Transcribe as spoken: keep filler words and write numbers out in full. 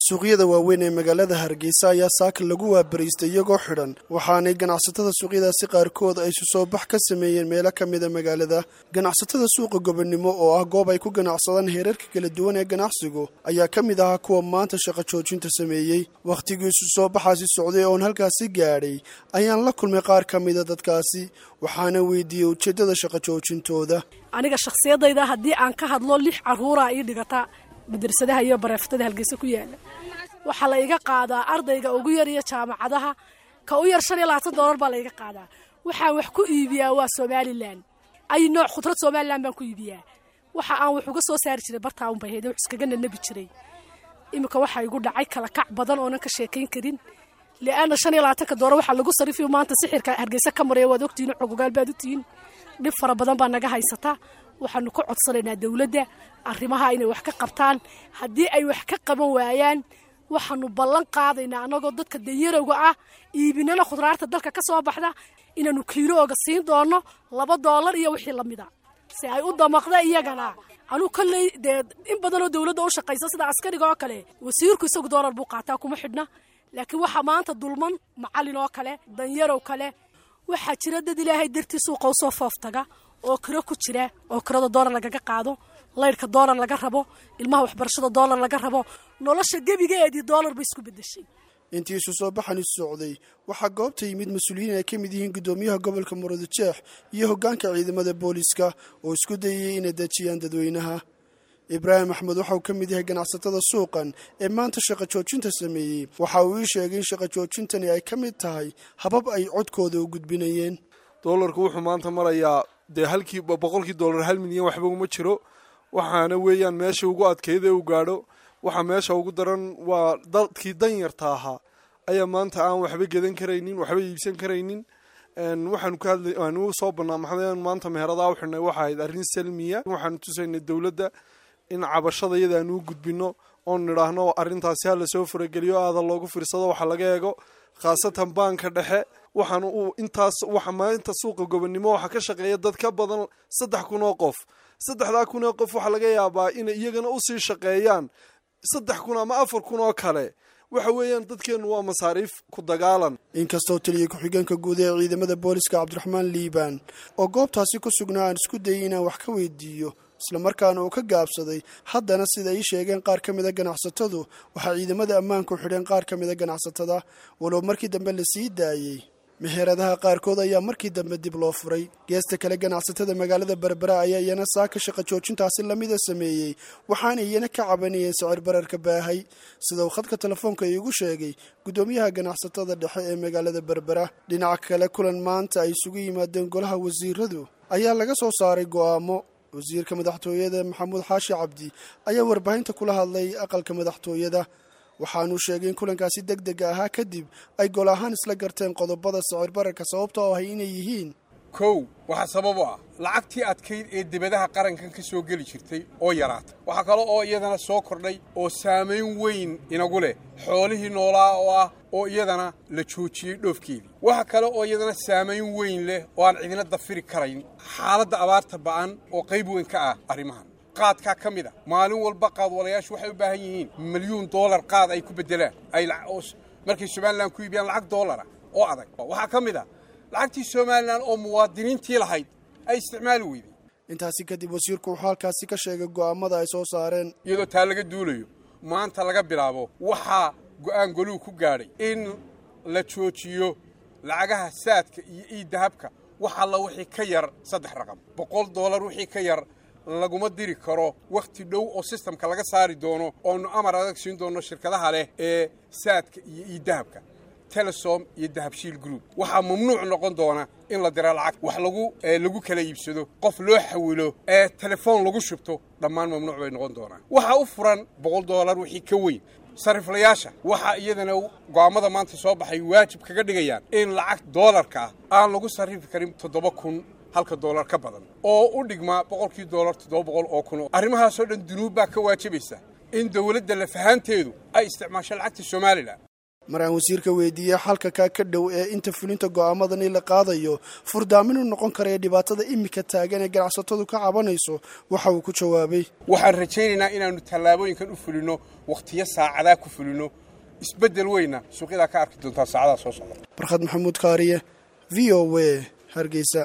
Suuqyada waaweyn ee magaalada Hargeysa ayaa saaka lagu waabariistay iyagoo xidhan, waxaanay ganacsatada suuqyadaasi qaarkood ay isu soo bax ka sameeyeen meelo ka mida magaalada. Ganacsatada suuqa Gobonimo, oo ah goob ay ku ganacsadaan heerarka kala duwan ee ganacsigu, ayaa ka mid ahaa kuwa maanta shaqo joojinta sameeyey. Wakhtigii isu soo baxaasi socday oon halkaasi gaadhay ayaan la kulmay qaar ka mida dadkaasi, waxaana weydiiyey ujeeddada shaqo joojintooda. Aniga shakhsiyadayda haddii aan ka hadlo, lix caruuraa ii dhigata madrasadaha iyo bareeftada Hargeysa ku yaala. Waxaa la iga qaadaa ardayga ugu yar iyo jaamacadaha ka u yar shan iyo labaatan doolar baa la iga qaadaa. Waxaan wax ku iibiyaa waa Somaliland, ay nooc khudrad Somaliland baan ku iibiyaa. Waxa aan wax uga soo saari jiray bartaa un bay ahayd, wax iskaga nanabi jiray. Iminka waxaa igu dhacay kala kac badan oonan ka sheekayn karin, li'aana shan iyo labaatanka doolar waxaa lagu sarifiyo maanta sixirka Hargeysa ka maraya waad ogtihiin, xogogaal baad u tihiin. Dhib fara badan baa naga haysata. Waxaanu ka codsanaynaa dowladda arrimaha inay wax ka qabtaan. Haddii ay wax ka qaban waayaan, waxaanu ballan qaadaynaa, annagoo dadka danyarowga ah iibinana khudraarta dalka ka soo baxda, inaanu kiilooga siin doono laba doolar iyo wixii lamida si ay u damaqda iyagana. Anuu kolley dee in badanoo dowladda u shaqaysa, sida askariga oo kale, wasiirku isagu doolar buu qaataa, kuma xidhna, laakiin waxaa maanta dulman macallin oo kale, danyarow kale. Waxaa jira dad Ilaahay dartii suuqa usoo fooftaga oo kiro ku jira, oo kirada doolar lagaga qaado, laydhka doolar laga rabo, ilmaha waxbarashada doolar laga rabo. Nolosha gebigeedii doolar bay isku bedeshay. Intii isu soo baxani socday waxaa goobta yimid mas-uuliyiin ay ka mid yihiin guddoomiyaha gobolka Murudijeex iyo hoggaanka ciidamada booliiska oo isku dayayay inay dejiyaan dadweynaha. Ibraahim Axmed waxa uu ka mid yahay ganacsatada suuqan ee maanta shaqo joojinta sameeyey. Waxa uu ii sheegay in shaqo joojintani ay ka mid tahay habab ay codkooda u gudbinayeen. Doolarku wuxuu maanta marayaa dee halkii boqolkii doolar hal milyan waxba uma jiro, waxaana weeyaan meesha ugu adkeyd ee uu gaadho. Waxaa meesha ugu daran waa dadkii danyarta ahaa ayaa maanta aan waxba gedan karaynin, waxba iibsan karaynin. Waxaanu ka hadlay aanu soo bannaa maxamed maanta meheradaha u xidhnay waxa ahayd arrin salmiya. Waxaanu tusaynay dowladda in cabashada iyada aanu u gudbino oon nidhaahno arrintaasi ha lasoo farageliyo, aada loogu fiirsado, waxa laga eego khaasatan baanka dhexe. Waxaanu uu intaas waxa maalinta suuqa Gobonnimo waxaa ka shaqeeya dad ka badan saddex kun oo qof. Saddexdaa kun oo qof waxaa laga yaabaa inay iyagana usii shaqeeyaan saddex kun ama afar kun oo kale. Waxa weeyaan dadkeennu waa masaariif ku dagaalan. Inkastoo taliya ku-xigeenka guud ee ciidamada booliska Cabdiraxmaan Liibaan oo goobtaasi ku sugnaa aan isku dayay inaan wax ka weydiiyo, islamarkaana uu ka gaabsaday, haddana sida ay sheegeen qaar ka mida ganacsatadu, waxaa ciidamada ammaanku xidheen qaar ka mida ganacsatada, walow markii dambe la sii daayey. Meheradaha qaarkood ayaa markii dambe dib loo furay. Geesta kale, ganacsatada magaalada Berbera ayaa iyana saaka shaqo joojintaasi lamida sameeyey, waxaana iyana ka cabanayeen sicir bararka baahay, sida uu khadka telefoonka iigu sheegay guddoomiyaha ganacsatada dhexe ee magaalada Berbera. Dhinaca kale, kulan maanta ay isugu yimaadeen golaha wasiiradu ayaa laga soo saaray go'aamo. Wasiirka madaxtooyada Maxamuud Xaashi Cabdi ayaa warbaahinta kula hadlay aqalka madaxtooyada. Waxaanuu sheegay in kulankaasi deg dega ahaa kadib ay gol ahaan isla garteen qodobada sicir bararka sababta oo ahay inay yihiin: Kow, waxaa sabab u ah lacagtii adkayd ee dibadaha qarankan ka soo geli jirtay oo yaraatay. Waxaa kale oo iyadana soo kordhay oo saamayn weyn inagu leh xoolihii noolaa oo ah oo iyadana la joojiyey dhoofkeedii. Waxa kale oo iyadana saamayn weyn leh oo aan cidina dafiri karayn xaaladda abaarta ba'an oo qayb weyn ka ah arrimahan. Qaadkaa ka mid a, maalin walba qaadwalayaashu waxay u baahan yihiin milyuun doolar qaad ay ku beddelaan ay markay Somaliland ku iibiyaan lacag doolara oo adag. Waxaa ka mid a lacagtii Somaliland oo muwaadiniintii lahayd ay isticmaali weyday. Intaasi kadib wasiirku wuxuu halkaasi ka sheegay go'aamada ay soo saareen. Iyadoo taa laga duulayo, maanta laga bilaabo waxaa go'aan goluhu ku gaadhay in la joojiyo lacagaha Saadka iyo eDahabka. Wax alla wixii ka yar saddex raqam, boqol doolar wixii ka yar, laguma diri karo wakhti dhow oo systemka laga saari doono, oonu amar adag siin doono shirkadaha leh ee Saadka iyo eDahabka, Telesom iyo Dahabshiil Group. Waxaa mamnuuc noqon doona in la dira lacag, wax lagu lagu kala iibsado, qof loo xawilo, ee telefoon lagu shubto, dhammaan mamnuuc bay noqon doonaan. Waxaa u furan boqol doolar wixii ka weyn. Sariflayaasha waxaa iyadana go'aamada maanta soo baxay waajib kaga dhigayaan in lacag doolarka ah aan lagu sarrifi karin toddoba kun halka doolar ka badan, oo u dhigmaa boqolkii doolar toddoba boqol oo kun. Arrimahaasoo dhan dunuub baa ka waajibaysa in dowladda lafahaanteedu ay isticmaasho lacagta Somaliland. Mar aan wasiirka weydiiyey xalka kaa ka dhow ee inta fulinta go'aamadani la qaadayo furdaamin u noqon karaya dhibaatada imika taagan ee ganacsatadu ka cabanayso, waxa uu ku jawaabay: Waxaan rajaynaynaa inaannu tallaabooyinkan u fulinno wakhtiyo saacadaa ku fulinno, isbeddel weyna suuqyadaa ka arki doontaa saacadaha soo socda. Barkhad Maxamuud Kaariye, V O A, Hargeysa.